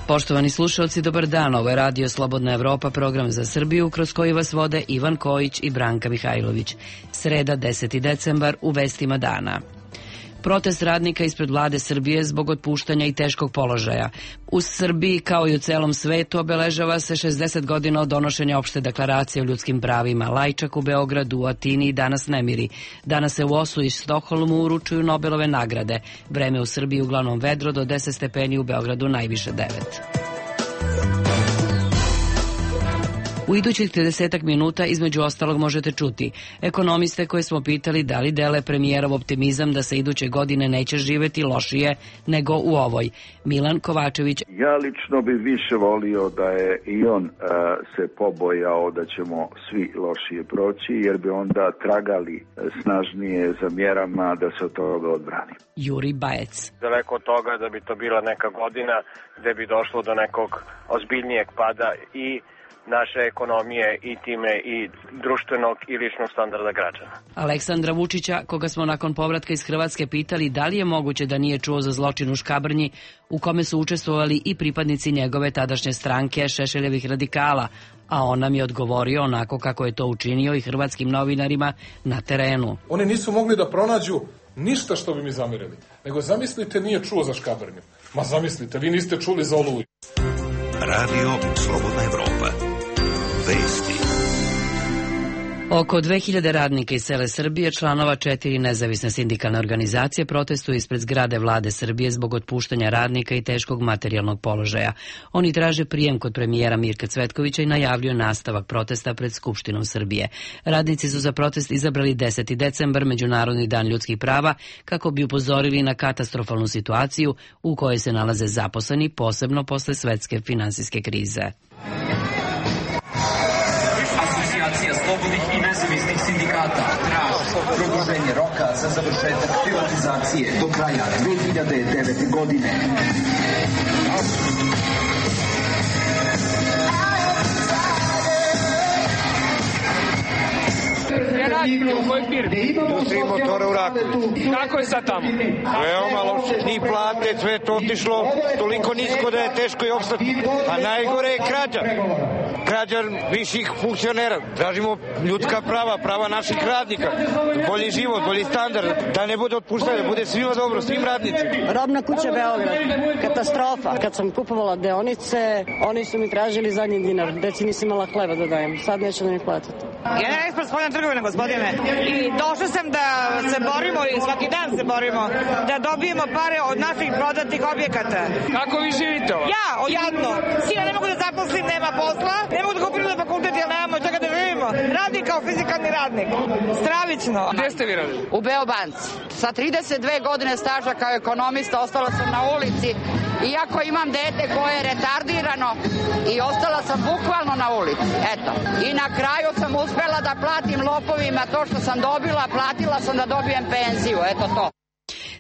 Poštovani slušalci, dobar dan. Ovo je Radio Slobodna Evropa, program za Srbiju, kroz koji vas vode Ivan Kojić i Branka Mihajlović. Sreda, 10. decembar, u vestima dana. Protest radnika ispred vlade Srbije zbog otpuštanja i teškog položaja. U Srbiji, kao i u celom svetu, obeležava se 60 godina od donošenja opšte deklaracije o ljudskim pravima. Lajčak u Beogradu, u Atini i danas nemiri. Danas se u Oslu i Stokholmu uručuju Nobelove nagrade. Vreme u Srbiji uglavnom vedro, do 10 stepeni, u Beogradu najviše 9. U idućih 30 minuta između ostalog možete čuti ekonomiste koje smo pitali da li dele premijerov optimizam da se iduće godine neće živeti lošije nego u ovoj. Milan Kovačević. Ja lično bi više volio da je i on se pobojao da ćemo svi lošije proći, jer bi onda tragali snažnije za mjerama da se od toga odbrani. Juri Bajec. Daleko od toga da bi to bila neka godina gde bi došlo do nekog ozbiljnijeg pada i naše ekonomije i time i društvenog i ličnog standarda građana. Aleksandra Vučića, koga smo nakon povratka iz Hrvatske pitali da li je moguće da nije čuo za zločin u Škabrnji, u kome su učestvovali i pripadnici njegove tadašnje stranke Šešeljevih radikala, a on nam je odgovorio onako kako je to učinio i hrvatskim novinarima na terenu. Oni nisu mogli da pronađu ništa što bi mi zamerili, nego zamislite nije čuo za Škabrnju. Ma zamislite, vi niste čuli za Oluju. Radio Slobodna Evropa. Vesti. Oko 2000 radnika iz cele Srbije, članova 4 nezavisne sindikalne organizacije, protestuju ispred zgrade vlade Srbije zbog otpuštanja radnika i teškog materijalnog položaja. Oni traže prijem kod premijera Mirka Cvetkovića i najavljuju nastavak protesta pred Skupštinom Srbije. Radnici su za protest izabrali 10. decembar, Međunarodni dan ljudskih prava, kako bi upozorili na katastrofalnu situaciju u kojoj se nalaze zaposleni, posebno posle svetske finansijske krize. Asocijacija slobodnih i nezavisnih sindikata traži produženje roka za završetak privatizacije do kraja 2009. godine. Gdje radite? U kojoj firmi? Industriji motora u Raku. Kako je sad tamo? Veoma loše, ni plate, sve je to otišlo toliko nisko da je teško i opstati. A najgore je krađa. Krađa viših funkcionera. Tražimo ljudska prava, prava naših radnika. Bolji život, bolji standard. Da ne bude otpuštanja, da bude svima dobro, svim radnicima. Robna kuća Beograd. Katastrofa. Kad sam kupovala deonice, oni su mi tražili zadnji dinar. Deci nisam imala hleba da dajem. Sad neće da mi platiti. Generalni ekspres spoljna trgovina, gospodine. I došla sam da se borimo i svaki dan se borimo da dobijemo pare od naših prodatih objekata. Kako vi živite ovo? Ja, jadno. Sina ne mogu da zaposlim, nema posla. Ne mogu da kupim na fakultet jer nemamo čega da živimo. Radim kao fizikalni radnik. Stravično. Gde ste vi radili? U Beobanci. Sa 32 godine staža kao ekonomista ostala sam na ulici. Iako imam dete koje je retardirano i ostala sam bukvalno na ulici. Eto. I na kraju sam uspela da platim lopovima to što sam dobila, platila sam da dobijem penziju. Eto to.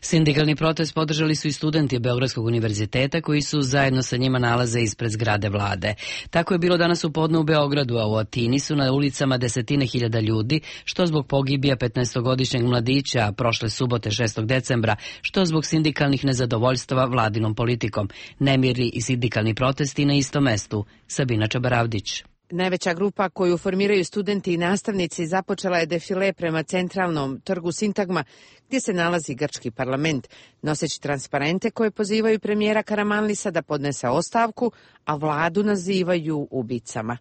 Sindikalni protest podržali su i studenti Beogradskog univerziteta koji su zajedno sa njima nalaze ispred zgrade vlade. Tako je bilo danas u podne u Beogradu, a u Atini su na ulicama desetine hiljada ljudi, što zbog pogibija 15-godišnjeg mladića prošle subote 6. decembra, što zbog sindikalnih nezadovoljstava vladinom politikom. Nemiri i sindikalni protesti na istom mestu. Sabina Čabaravdić. Najveća grupa koju formiraju studenti i nastavnici započela je defile prema centralnom trgu Sintagma, gdje se nalazi grčki parlament, noseći transparente koje pozivaju premijera Karamanlisa da podnese ostavku, a vladu nazivaju ubicama.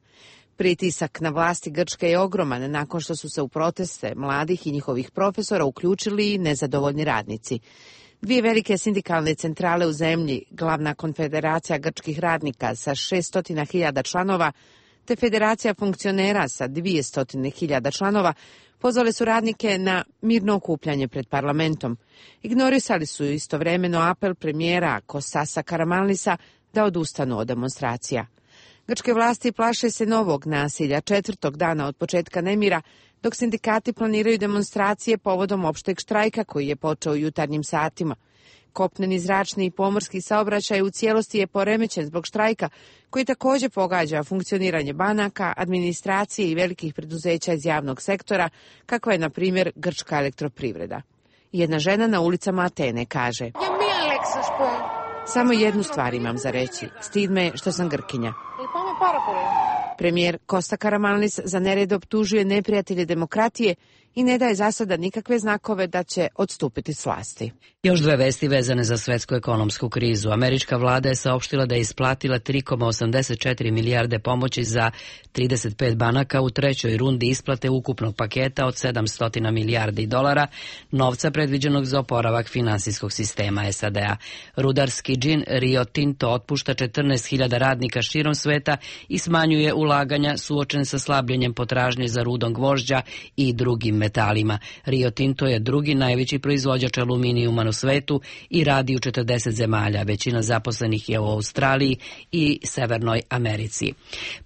Pritisak na vlasti Grčke je ogroman nakon što su se u proteste mladih i njihovih profesora uključili i nezadovoljni radnici. Dvije velike sindikalne centrale u zemlji, glavna konfederacija grčkih radnika sa 600.000 članova, te Federacija funkcionera sa 200.000 članova, pozvale su radnike na mirno okupljanje pred parlamentom. Ignorisali su istovremeno apel premijera Kostasa Karamanlisa da odustanu od demonstracija. Grčke vlasti plaše se novog nasilja 4. dana od početka nemira, dok sindikati planiraju demonstracije povodom opšteg štrajka koji je počeo u jutarnjim satima. Kopneni, zračni i pomorski saobraćaj u cijelosti je poremećen zbog štrajka, koji također pogađa funkcioniranje banaka, administracije i velikih preduzeća iz javnog sektora, kakva je, na primjer, grčka elektroprivreda. Jedna žena na ulicama Atene kaže: Samo jednu stvar imam za reći. Stid me što sam Grkinja. Premijer Kosta Karamanlis za nered optužuje neprijatelje demokratije i ne daje za sada nikakve znakove da će odstupiti s vlasti. Još dve vesti vezane za svetsku ekonomsku krizu. Američka vlada je saopštila da je isplatila 3,84 milijarde pomoći za 35 banaka u trećoj rundi isplate ukupnog paketa od 700 milijardi dolara, novca predviđenog za oporavak finansijskog sistema SAD-a. Rudarski džin Rio Tinto otpušta 14.000 radnika širom sveta i smanjuje ulaganja suočen sa slabljenjem potražnje za rudom gvožđa i drugim metalima. Rio Tinto je drugi najveći proizvođač aluminijuma u svetu i radi u 40 zemalja. Većina zaposlenih je u Australiji i Severnoj Americi.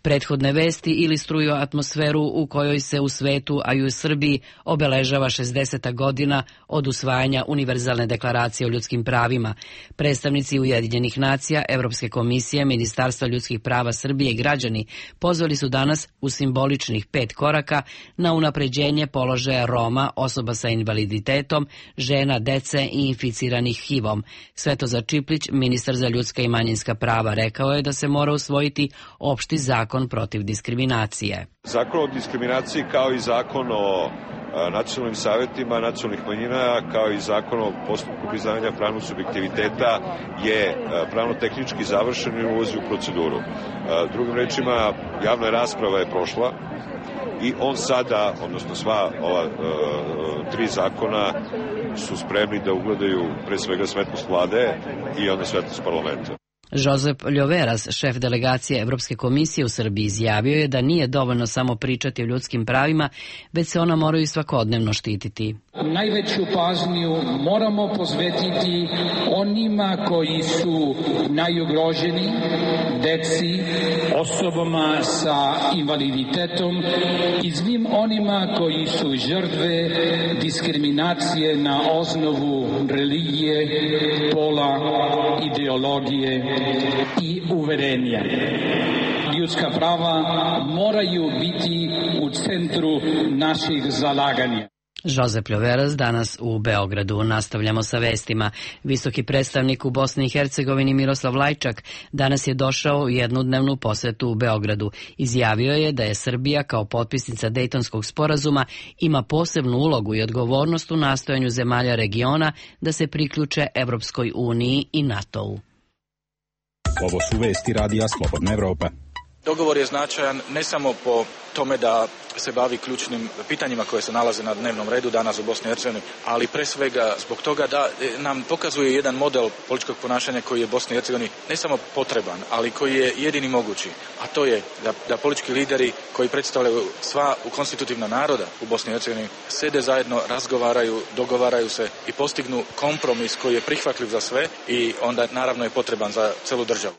Prethodne vesti ilustruju atmosferu u kojoj se u svetu, a i u Srbiji, obeležava 60. godina od usvajanja Univerzalne deklaracije o ljudskim pravima. Predstavnici Ujedinjenih nacija, Evropske komisije, Ministarstva ljudskih prava Srbije i građani pozvali su danas u simboličnih 5 koraka na unapređenje položaja Roma, osoba sa invaliditetom, žena, dece i inficiranih HIV-om. Svetozar Čiplić, ministar za ljudska i manjinska prava, rekao je da se mora usvojiti opšti zakon protiv diskriminacije. Zakon o diskriminaciji kao i zakon o nacionalnim savjetima nacionalnih manjina, kao i zakon o postupku priznavanja pravnog subjektiviteta je pravno-tehnički završen i ulazi u proceduru. Drugim rečima, javna rasprava je prošla i on sada, odnosno sva ova 3 zakona su spremni da ugledaju pre svega svetlost vlade i onda svetlost parlamenta. Josep Ljoveras, šef delegacije Evropske komisije u Srbiji, izjavio je da nije dovoljno samo pričati o ljudskim pravima, već se ona moraju svakodnevno štititi. Najveću pažnju moramo posvetiti onima koji su najugroženi, deci, osobama sa invaliditetom i svim onima koji su žrtve diskriminacije na osnovu religije, pola, ideologije i uverenja. Ljudska prava moraju biti u centru naših zalaganja. Josep Ljoveras danas u Beogradu. Nastavljamo sa vestima. Visoki predstavnik u Bosni i Hercegovini Miroslav Lajčak danas je došao u jednodnevnu posetu u Beogradu. Izjavio je da je Srbija kao potpisnica Dejtonskog sporazuma ima posebnu ulogu i odgovornost u nastojanju zemalja regiona da se priključe Evropskoj uniji i NATO-u. Ovo su vesti Radija Slobodna Evropa. Dogovor je značajan ne samo po tome da se bavi ključnim pitanjima koje se nalaze na dnevnom redu danas u Bosni i Hercegovini, ali pre svega zbog toga da nam pokazuje jedan model političkog ponašanja koji je Bosni i Hercegovini ne samo potreban, ali koji je jedini mogući, a to je da politički lideri koji predstavljaju sva konstitutivna naroda u Bosni i Hercegovini sede zajedno, razgovaraju, dogovaraju se i postignu kompromis koji je prihvatljiv za sve i onda naravno je potreban za celu državu.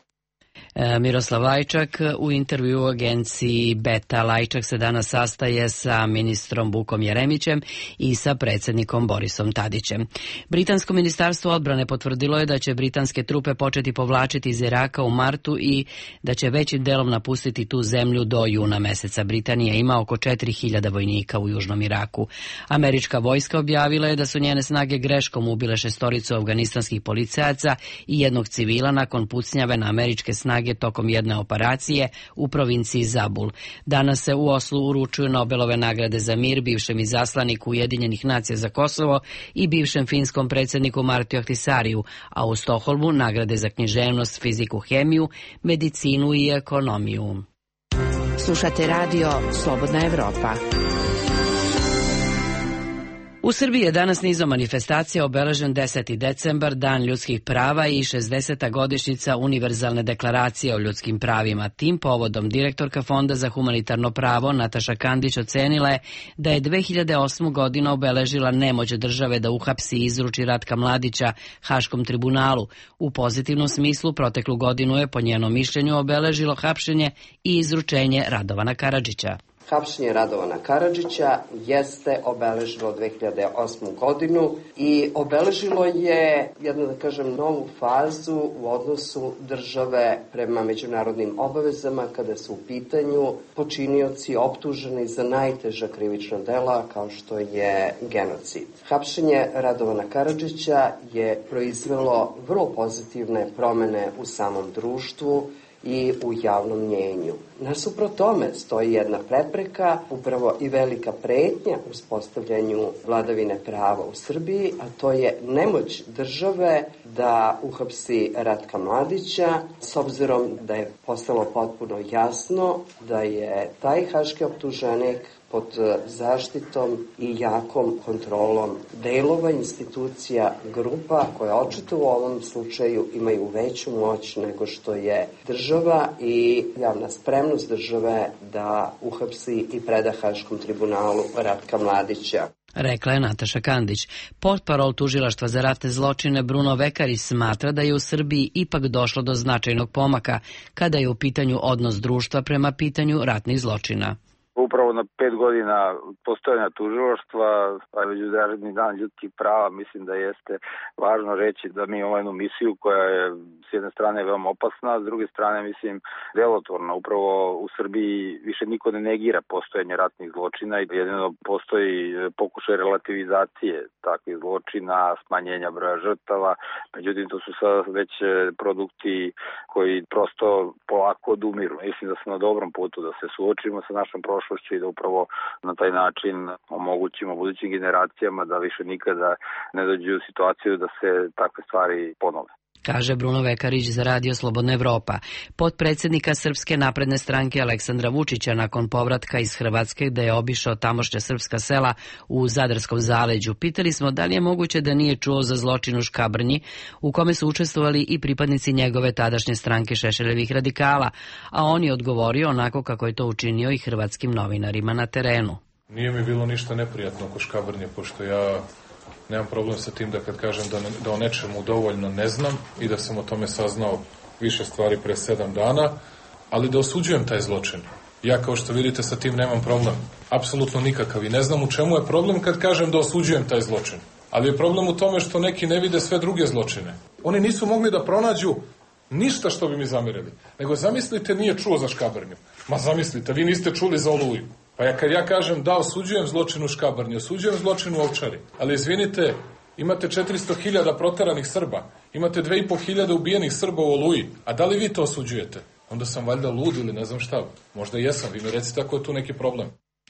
Miroslav Lajčak u intervju u agenciji Beta. Lajčak se danas sastaje sa ministrom Vukom Jeremićem i sa predsjednikom Borisom Tadićem. Britansko ministarstvo odbrane potvrdilo je da će britanske trupe početi povlačiti iz Iraka u martu i da će većim delom napustiti tu zemlju do juna meseca. Britanija ima oko 4.000 vojnika u južnom Iraku. Američka vojska objavila je da su njene snage greškom ubile 6 afganistanskih policajaca i jednog civila nakon pucnjave na američke snage tokom jedne operacije u provinciji Zabul. Danas se u Oslu uručuju Nobelove nagrade za mir bivšem izaslaniku Ujedinjenih nacija za Kosovo i bivšem finskom predsjedniku Martiju Ahtisariju, a u Stokholmu nagrade za književnost, fiziku, hemiju, medicinu i ekonomiju. Slušate radio Slobodna Evropa. U Srbiji je danas nizom manifestacija obeležen 10. decembar, Dan ljudskih prava i 60. godišnjica Univerzalne deklaracije o ljudskim pravima. Tim povodom direktorka Fonda za humanitarno pravo Nataša Kandić ocenila je da je 2008. godina obeležila nemoć države da uhapsi i izruči Ratka Mladića Haškom tribunalu. U pozitivnom smislu proteklu godinu je po njenom mišljenju obeležilo hapšenje i izručenje Radovana Karadžića. Hapšenje Radovana Karadžića jeste obeležilo 2008. godinu i obeležilo je jednu, da kažem, novu fazu u odnosu države prema međunarodnim obavezama kada su u pitanju počinioci optuženi za najteža krivična dela kao što je genocid. Hapšenje Radovana Karadžića je proizvelo vrlo pozitivne promene u samom društvu i u javnom mnjenju. Nasuprot tome stoji jedna prepreka, upravo i velika pretnja uspostavljanju vladavine prava u Srbiji, a to je nemoć države da uhapsi Ratka Mladića, s obzirom da je postalo potpuno jasno da je taj haški optuženik pod zaštitom i jakom kontrolom delova institucija, grupa koje očito u ovom slučaju imaju veću moć nego što je država i javna spremnost države da uhapsi i preda Haškom tribunalu Ratka Mladića. Rekla je Nataša Kandić. Portparol Tužilaštva za ratne zločine Bruno Vekarić smatra da je u Srbiji ipak došlo do značajnog pomaka kada je u pitanju odnos društva prema pitanju ratnih zločina. Upravo na 5 godina postojanja tužilaštva, a Međunarodni dan ljudskih prava, mislim da jeste važno reći da mi imamo jednu misiju koja je s jedne strane veoma opasna, a s druge strane, mislim, delotvorna. Upravo u Srbiji više niko ne negira postojanje ratnih zločina i jedino postoji pokušaj relativizacije takvih zločina, smanjenja broja žrtava. Međutim, to su sad već produkti koji prosto polako odumiru. Mislim da smo na dobrom putu da se suočimo sa našom prošlošću i da upravo na taj način omogućimo budućim generacijama da više nikada ne dođu u situaciju da se takve stvari ponove. Kaže Bruno Vekarić za Radio Slobodna Evropa. Potpredsjednika Srpske napredne stranke Aleksandra Vučića nakon povratka iz Hrvatske gde je obišao tamošnja srpska sela u Zadarskom zaleđu. Pitali smo da li je moguće da nije čuo za zločin u Škabrnji u kome su učestvovali i pripadnici njegove tadašnje stranke Šešeljevih radikala, a on je odgovorio onako kako je to učinio i hrvatskim novinarima na terenu. Nije mi bilo ništa neprijatno oko Škabrnje, pošto ja nemam problem sa tim da kad kažem da o nečemu dovoljno ne znam i da sam o tome saznao više stvari pre 7 dana, ali da osuđujem taj zločin. Ja, kao što vidite, sa tim nemam problem. Apsolutno nikakav. I ne znam u čemu je problem kad kažem da osuđujem taj zločin. Ali je problem u tome što neki ne vide sve druge zločine. Oni nisu mogli da pronađu ništa što bi mi zamerili. Nego zamislite, nije čuo za Škabrnju. Ma zamislite, vi niste čuli za Oluju. Pa kad ja kažem da osuđujem zločin u Škabrnji, osuđujem zločin u Ovčari, ali izvinite, imate 400.000 proteranih Srba, imate 2.500 ubijenih Srba u Oluji, a da li vi to osuđujete? Onda sam valjda lud ili ne znam šta. Možda jesam, vi mi recite ako je tu neki problem.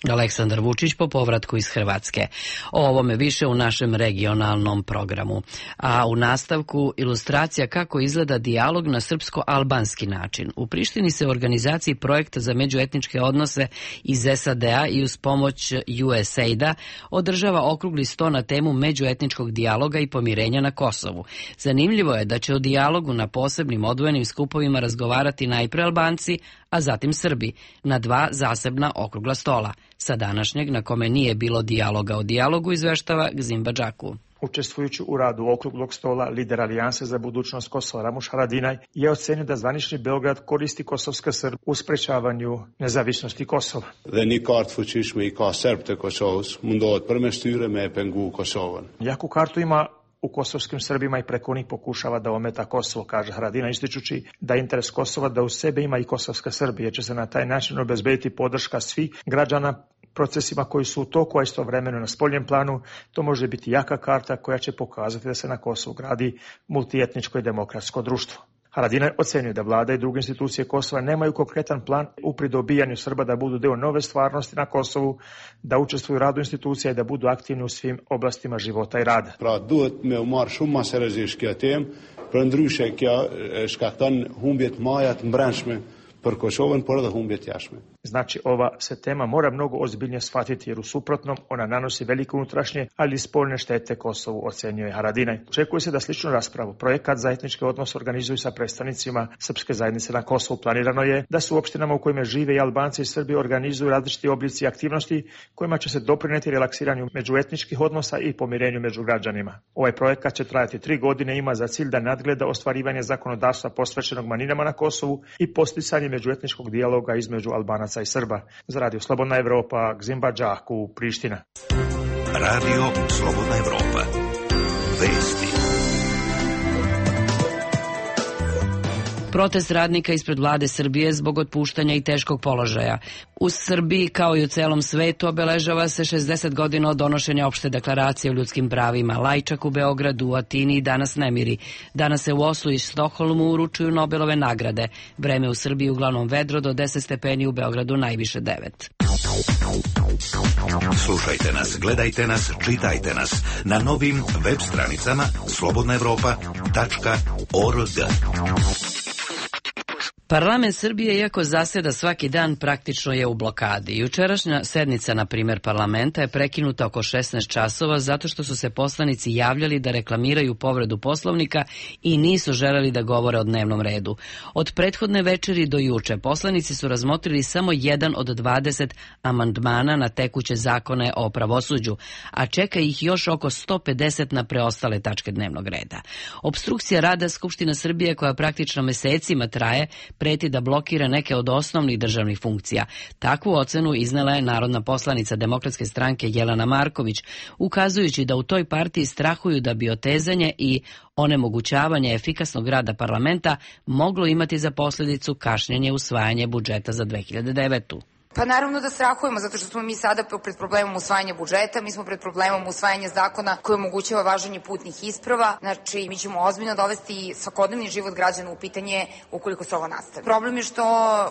Aleksandar Vučić po povratku iz Hrvatske. O ovome više u našem regionalnom programu. A u nastavku ilustracija kako izgleda dijalog na srpsko-albanski način. U Prištini se u organizaciji projekta za međuetničke odnose iz SAD-a i uz pomoć USAID-a održava okrugli sto na temu međuetničkog dijaloga i pomirenja na Kosovu. Zanimljivo je da će o dijalogu na posebnim odvojenim skupovima razgovarati najpre Albanci, a zatim Srbi, na 2 zasebna okrugla stola. Sa današnjeg, na kome nije bilo dijaloga o dijalogu, izveštava Gzim Badžaku. Učestvujući u radu okruglog stola, lider Alijanse za budućnost Kosova Ramuš Haradinaj je ocenio da zvanični Beograd koristi kosovska Srb u sprečavanju nezavisnosti Kosova. Jaku kartu ima u kosovskim Srbima i preko njih pokušava da ometa Kosovo, kaže Haradinaj, ističući da interes Kosova da u sebe ima i kosovska Srbija, će se na taj način obezbediti podrška svih građana procesima koji su u toku, a istovremeno na spoljnom planu. To može biti jaka karta koja će pokazati da se na Kosovu gradi multietničko i demokratsko društvo. Haradinaj ocenio da vlada i druge institucije Kosova nemaju konkretan plan u pridobijanju Srba da budu deo nove stvarnosti na Kosovu, da učestvuju u radu institucija i da budu aktivni u svim oblastima života i rada. Pra duhet me u marrë shumë më seriozisht kjo temë, përndryshe kjo shkakton humbje të mëdha të brendshme për Kosovën, por edhe humbje të jashtme. Znači, ova se tema mora mnogo ozbiljnije shvatiti jer u suprotnom ona nanosi velike unutrašnje, ali i spoljne štete Kosovu, ocenio je Haradinaj. Očekuje se da sličnu raspravu projekat za etničke odnose organizuju sa predstavnicima srpske zajednice na Kosovu. Planirano je da su u opštinama u kojima žive i Albanci i Srbi organizuju različiti oblici aktivnosti kojima će se doprineti relaksiranju međuetničkih odnosa i pomirenju među građanima. Ovaj projekat će trajati 3 godine i ima za cilj da nadgleda ostvarivanje zakonodavstva posvećenog manjinama na Kosovu i posticanje međuetničkog dijaloga između Albanaca Albanaca i Srba. Za Radio Slobodna Evropa, Gzimba Đaku, Priština. Radio Slobodna Evropa. Vesti. Protest radnika ispred vlade Srbije zbog otpuštanja i teškog položaja. U Srbiji, kao i u celom svetu, obeležava se 60 godina od donošenja opšte deklaracije o ljudskim pravima. Lajčak u Beogradu, u Atini i danas nemiri. Danas se u Oslu i Stokholmu uručuju Nobelove nagrade. Vreme u Srbiji uglavnom vedro, do 10 stepeni, u Beogradu najviše 9. Slušajte nas, gledajte nas, čitajte nas na novim web stranicama slobodnaevropa.org. Parlament Srbije, iako zaseda svaki dan, praktično je u blokadi. Jučerašnja sednica, na primjer, parlamenta je prekinuta oko 16 časova zato što su se poslanici javljali da reklamiraju povredu Poslovnika i nisu želeli da govore o dnevnom redu. Od prethodne večeri do juče poslanici su razmotrili samo jedan od 20 amandmana na tekuće zakone o pravosuđu, a čeka ih još oko 150 na preostale tačke dnevnog reda. Opstrukcija rada Skupštine Srbije, koja praktično mesecima traje, preti da blokira neke od osnovnih državnih funkcija. Takvu ocenu iznela je narodna poslanica Demokratske stranke Jelena Marković, ukazujući da u toj partiji strahuju da bi otezanje i onemogućavanje efikasnog rada parlamenta moglo imati za posljedicu kašnjenje usvajanje budžeta za 2009. Pa naravno da strahujemo, zato što smo mi sada pred problemom usvajanja budžeta, mi smo pred problemom usvajanja zakona koji omogućava važenje putnih isprava, znači mi ćemo ozbiljno dovesti svakodnevni život građana u pitanje ukoliko se ovo nastavi. Problem je što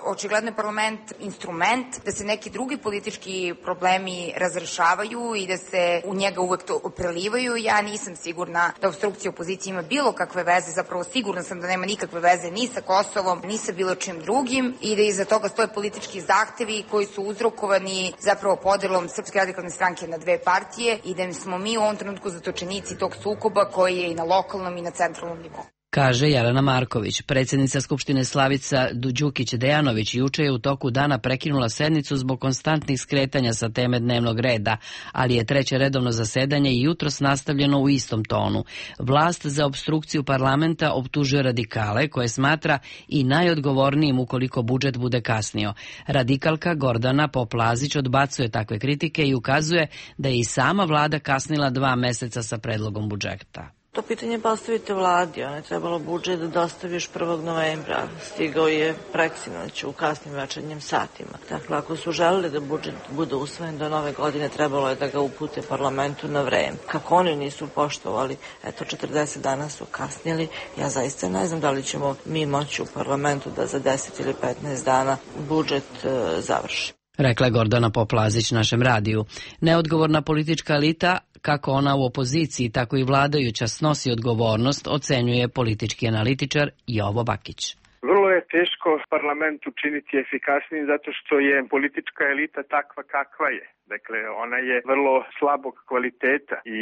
očigledno je parlament instrument da se neki drugi politički problemi razrešavaju i da se u njega uvek to prelivaju. Ja nisam sigurna da opstrukcija opozicije ima bilo kakve veze, zapravo sigurna sam da nema nikakve veze ni sa Kosovom, ni sa bilo čim drugim i da iza toga stoje politički zahtevi koji su uzrokovani zapravo podelom Srpske radikalne stranke na dve partije i da smo mi u ovom trenutku zatočenici tog sukoba koji je i na lokalnom i na centralnom nivou. Kaže Jelena Marković. Predsjednica Skupštine Slavica Đukić-Dejanović juče je u toku dana prekinula sednicu zbog konstantnih skretanja sa teme dnevnog reda, ali je treće redovno zasedanje i jutros nastavljeno u istom tonu. Vlast za opstrukciju parlamenta optužuje radikale, koje smatra i najodgovornijim ukoliko budžet bude kasnio. Radikalka Gordana Poplazić odbacuje takve kritike i ukazuje da je i sama vlada kasnila 2 meseca sa predlogom budžeta. To pitanje postavite vladi, ona je trebalo budžet da dostavi još 1. novembra. Stigao je preksinoć u kasnim večernjim satima. Dakle, ako su želeli da budžet bude usvojen do nove godine, trebalo je da ga upute parlamentu na vreme. Kako oni nisu poštovali, eto 40 dana su kasnili, ja zaista ne znam da li ćemo mi moći u parlamentu da za 10 ili 15 dana budžet završi. Rekla je Gordana Poplazić našem radiju. Neodgovorna politička elita, kako ona u opoziciji, tako i vladajuća, snosi odgovornost, ocenjuje politički analitičar Jovo Bakić. Vrlo je teško parlament učiniti efikasnijim zato što je politička elita takva kakva je. Dakle, ona je vrlo slabog kvaliteta i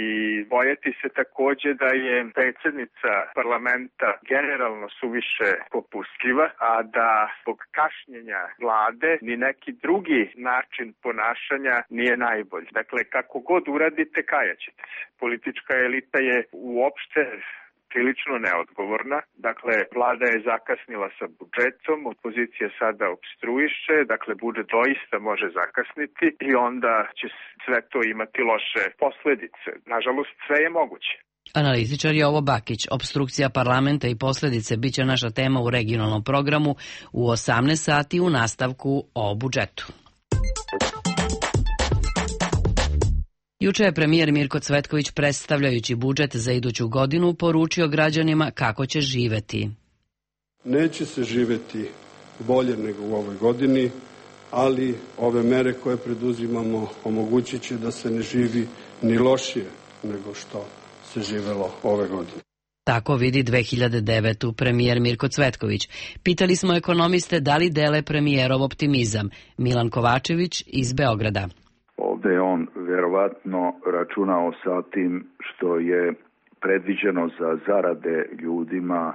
bojati se takođe da je predsjednica parlamenta generalno suviše popustljiva, a da zbog kašnjenja vlade ni neki drugi način ponašanja nije najbolji. Dakle, kako god uradite, kajaćete se. Politička elita je uopšte prilično neodgovorna. Dakle, vlada je zakasnila sa budžetom, opozicija sada opstruiše, dakle, budžet doista može zakasniti i onda će sve to imati loše posledice. Nažalost, sve je moguće. Analitičar Jovo Bakić. Opstrukcija parlamenta i posljedice biće naša tema u regionalnom programu u 18 sati u nastavku o budžetu. Juče je premijer Mirko Cvetković, predstavljajući budžet za iduću godinu, poručio građanima kako će živeti. Neće se živeti bolje nego u ovoj godini, ali ove mere koje preduzimamo omogućit će da se ne živi ni lošije nego što se živelo ove godine. Tako vidi 2009. premijer Mirko Cvetković. Pitali smo ekonomiste da li dele premijerov optimizam. Milan Kovačević iz Beograda. Ovdje je on vjerovatno računao sa tim što je predviđeno za zarade ljudima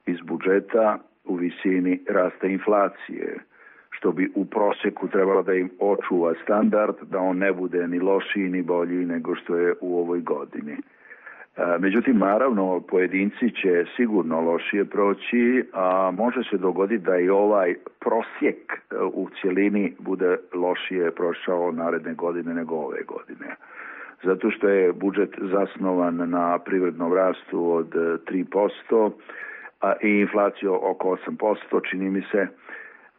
iz budžeta u visini rasta inflacije, što bi u prosjeku trebalo da im očuva standard, da on ne bude ni lošiji ni bolji nego što je u ovoj godini. Međutim, naravno, pojedinci će sigurno lošije proći, a može se dogoditi da i ovaj prosjek u cjelini bude lošije prošao naredne godine nego ove godine. Zato što je budžet zasnovan na privrednom rastu od 3% i inflaciju oko 8%, čini mi se,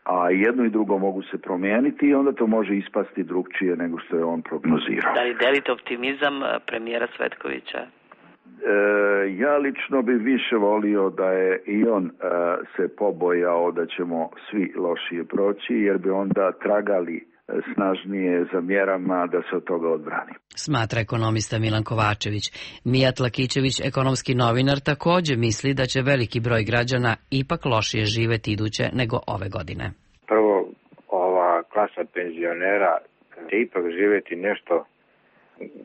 a jedno i drugo mogu se promijeniti i onda to može ispasti drugčije nego što je on prognozirao. Da li delite optimizam premijera Cvetkovića? Ja lično bi više volio da je i on se pobojao da ćemo svi lošije proći, jer bi onda tragali snažnije za mjerama da se od toga odbrani. Smatra ekonomista Milan Kovačević. Mijat Lakićević, ekonomski novinar, također misli da će veliki broj građana ipak lošije živeti iduće nego ove godine. Prvo, ova klasa penzionera će ipak živjeti nešto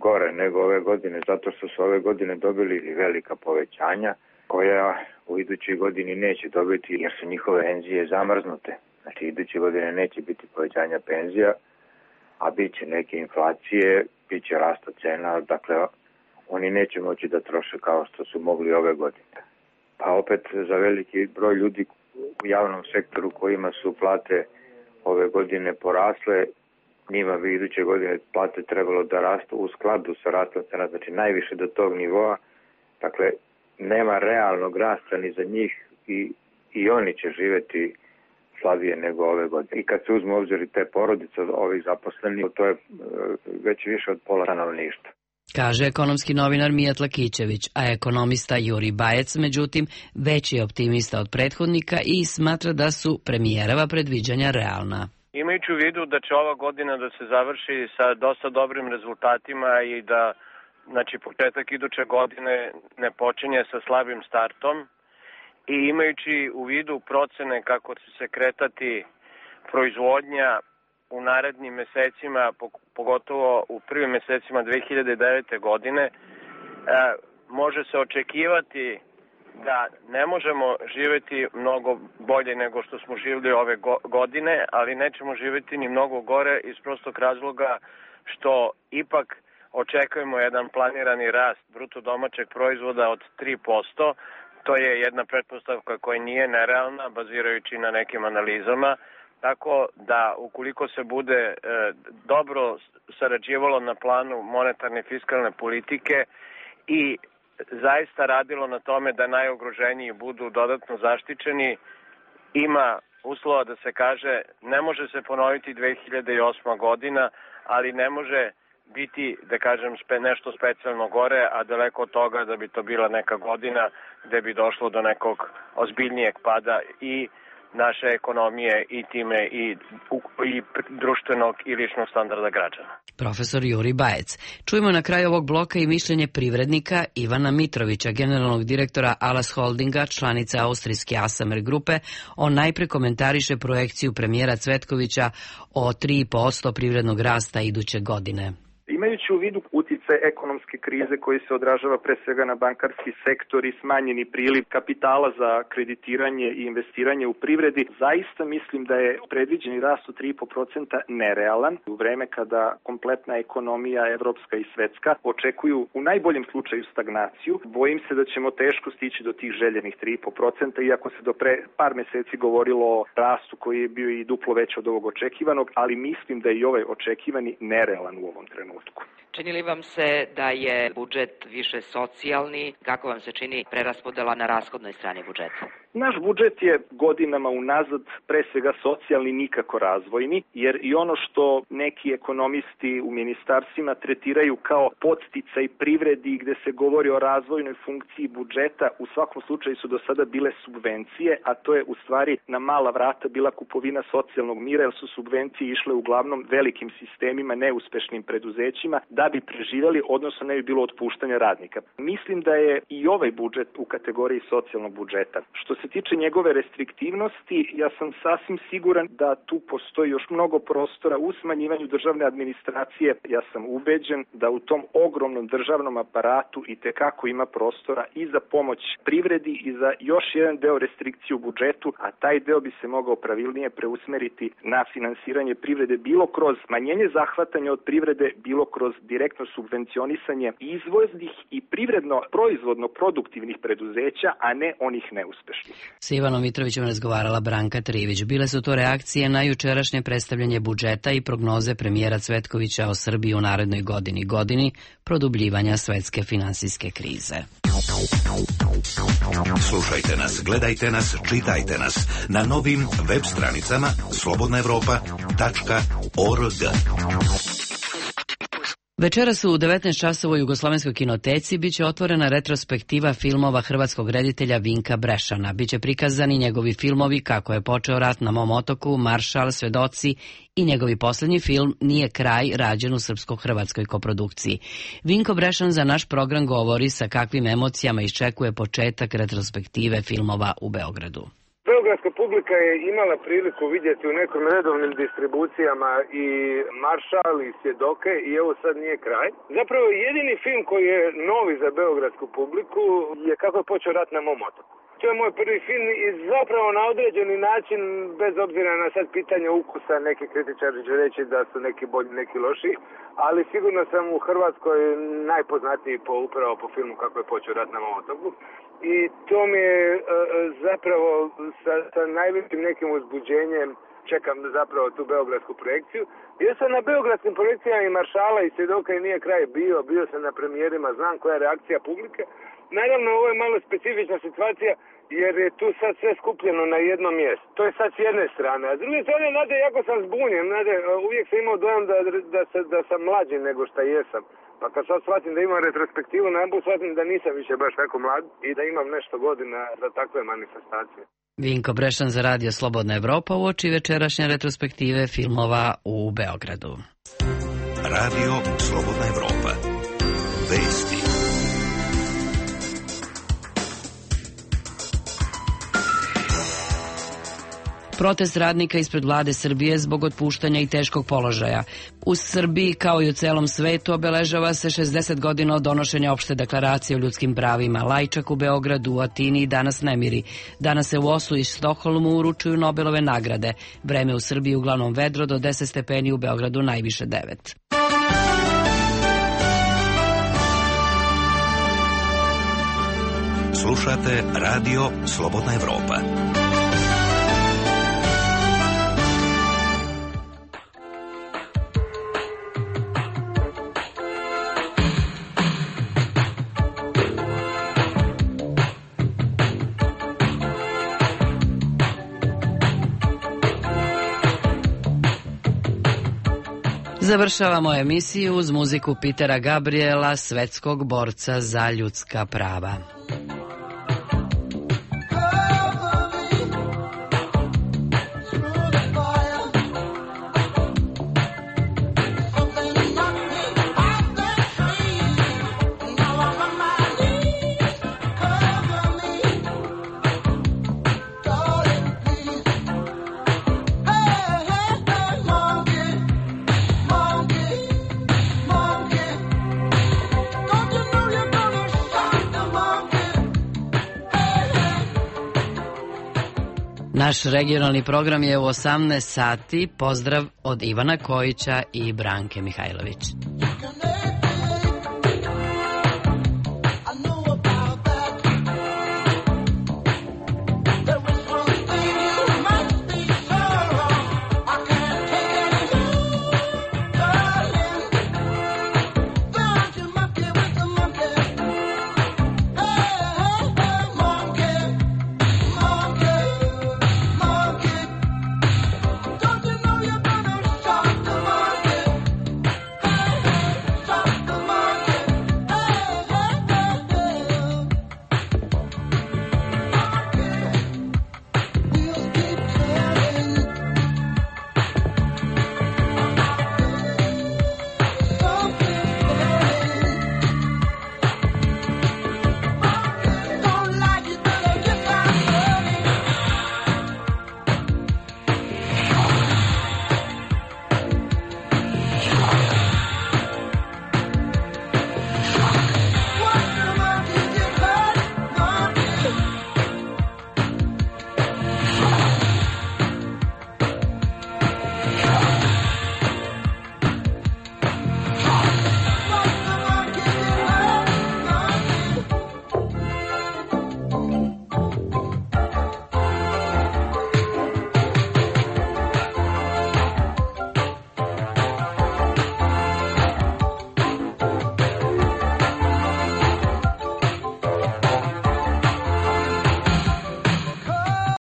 gore nego ove godine, zato što su ove godine dobili velika povećanja koja u idućoj godini neće dobiti jer su njihove penzije zamrznute. Znači, iduće godine neće biti povećanja penzija, a bit će neke inflacije, bit će rasta cena, dakle, oni neće moći da troše kao što su mogli ove godine. Pa opet za veliki broj ljudi u javnom sektoru kojima su plate ove godine porasle, njima bi iduće godine plate trebalo da rastu u skladu sa rastom cena, znači najviše do tog nivoa. Dakle, nema realnog rasta ni za njih i oni će živjeti slabije nego ove godine. I kad se uzme obzir i te porodice ovih zaposlenih, to je već više od pola stanovništva. Kaže ekonomski novinar Mijat Lakićević, a ekonomista Juri Bajec, međutim, veći je optimista od prethodnika i smatra da su premijerova predviđanja realna. Imajući u vidu da će ova godina da se završi sa dosta dobrim rezultatima i da, znači, početak iduće godine ne počinje sa slabim startom, i imajući u vidu procene kako će se kretati proizvodnja u narednim mesecima, pogotovo u prvim mesecima 2009. godine, može se očekivati da ne možemo živjeti mnogo bolje nego što smo živjeli ove godine, ali nećemo živjeti ni mnogo gore iz prostog razloga što ipak očekujemo jedan planirani rast bruto domaćeg proizvoda od 3%. To je jedna pretpostavka koja nije nerealna, bazirajući na nekim analizama, tako da ukoliko se bude dobro sarađivalo na planu monetarne i fiskalne politike i zaista radilo na tome da najugroženiji budu dodatno zaštićeni, ima uslova da se kaže ne može se ponoviti 2008. godina, ali ne može biti, da kažem, nešto specijalno gore, a daleko od toga da bi to bila neka godina gde bi došlo do nekog ozbiljnijeg pada i naše ekonomije i time i društvenog i ličnog standarda građana. Profesor Juri Bajec. Čujemo na kraju ovog bloka i mišljenje privrednika Ivana Mitrovića, generalnog direktora Alas Holdinga, članice austrijske Asamer grupe. On najpre komentariše projekciju premijera Cvetkovića o 3% privrednog rasta iduće godine. Imajući u vidu utjecaj ekonomske krize koji se odražava pre svega na bankarski sektor i smanjeni priliv kapitala za kreditiranje i investiranje u privredi, zaista mislim da je predviđeni rast od 3,5% nerealan u vreme kada kompletna ekonomija, evropska i svetska, očekuju u najboljem slučaju stagnaciju. Bojim se da ćemo teško stići do tih željenih 3,5%, iako se do pre par meseci govorilo o rastu koji je bio i duplo veći od ovog očekivanog, ali mislim da je i ovaj očekivani nerealan u ovom trenutku. Čini li vam se da je budžet više socijalni? Kako vam se čini preraspodela na rashodnoj strani budžeta? Naš budžet je godinama unazad pre svega socijalni, nikako razvojni, jer i ono što neki ekonomisti u ministarstvima tretiraju kao podsticaj privredi gde se govori o razvojnoj funkciji budžeta, u svakom slučaju su do sada bile subvencije, a to je u stvari na mala vrata bila kupovina socijalnog mira, jer su subvencije išle uglavnom velikim sistemima, neuspešnim preduzećima, da bi preživjeli, odnosno ne bi bilo otpuštanja radnika. Mislim da je i ovaj budžet u kategoriji socijalnog budžeta. Što se tiče njegove restriktivnosti, ja sam sasvim siguran da tu postoji još mnogo prostora u smanjivanju državne administracije. Ja sam ubeđen da u tom ogromnom državnom aparatu i tekako ima prostora i za pomoć privredi i za još jedan deo restrikcije u budžetu, a taj deo bi se mogao pravilnije preusmeriti na finansiranje privrede bilo kroz smanjenje zahvatanja od privrede, bilo kroz direktno subvencionisanje izvoznih i privredno proizvodno produktivnih preduzeća, a ne onih neuspešnih. S Ivanom Mitrovićem razgovarala Branka Trivić. Bile su to reakcije na jučerašnje predstavljanje budžeta i prognoze premijera Cvetkovića o Srbiji u narednoj godini produbljivanja svetske finansijske krize. Slušajte nas, gledajte nas, čitajte nas na novim web stranicama slobodnaevropa.org. Večeras u 19 časova u Jugoslovenskoj kinoteci biće otvorena retrospektiva filmova hrvatskog reditelja Vinka Brešana. Biće prikazani njegovi filmovi Kako je počeo rat na mom otoku, Maršal, Svedoci i njegovi poslednji film Nije kraj, rađen u srpsko-hrvatskoj koprodukciji. Vinko Brešan za naš program govori sa kakvim emocijama iščekuje početak retrospektive filmova u Beogradu. Beogradska publika je imala priliku vidjeti u nekim redovnim distribucijama i Maršal i Svjedoke i evo sad Nije kraj. Zapravo jedini film koji je novi za beogradsku publiku je Kako je počeo rat na mom otoku. To je moj prvi film i zapravo na određeni način, bez obzira na sad pitanje ukusa, neki kritičari će reći da su neki bolji, neki lošiji, ali sigurno sam u Hrvatskoj najpoznatiji upravo po filmu Kako je počeo rat na mom otoku. I to mi je zapravo sa najvećim nekim uzbuđenjem čekam zapravo tu beogradsku projekciju. Jer sam na beogradskim projekcijama i Maršala i Svjedoka i Nije kraj bio sam na premijerima, znam koja je reakcija publike. Naravno, ovo je malo specifična situacija jer je tu sad sve skupljeno na jedno mjesto. To je sad s jedne strane. A s druge strane, znate, jako sam zbunjen. Znate, uvijek sam imao dojam da sam mlađi nego što jesam. Pa kad sad shvatim da imam retrospektivu, najbolj shvatim da nisam više baš tako mlad i da imam nešto godina za takve manifestacije. Vinko Brešan za Radio Slobodna Evropa uoči večerašnje retrospektive filmova u Beogradu. Radio Slobodna Evropa. Vesti. Protest radnika ispred vlade Srbije zbog otpuštanja i teškog položaja. U Srbiji, kao i u celom svetu, obeležava se 60 godina od donošenja opšte deklaracije o ljudskim pravima. Lajčak u Beogradu, u Atini i danas nemiri. Danas se u Oslu i Stokholmu uručuju Nobelove nagrade. Vreme u Srbiji uglavnom vedro, do 10 stepeni, u Beogradu najviše 9. Slušate Radio Slobodna Evropa. Završavamo emisiju uz muziku Petera Gabriela, svetskog borca za ljudska prava. Naš regionalni program je u 18 sati. Pozdrav od Ivana Kojića i Branke Mihajlović.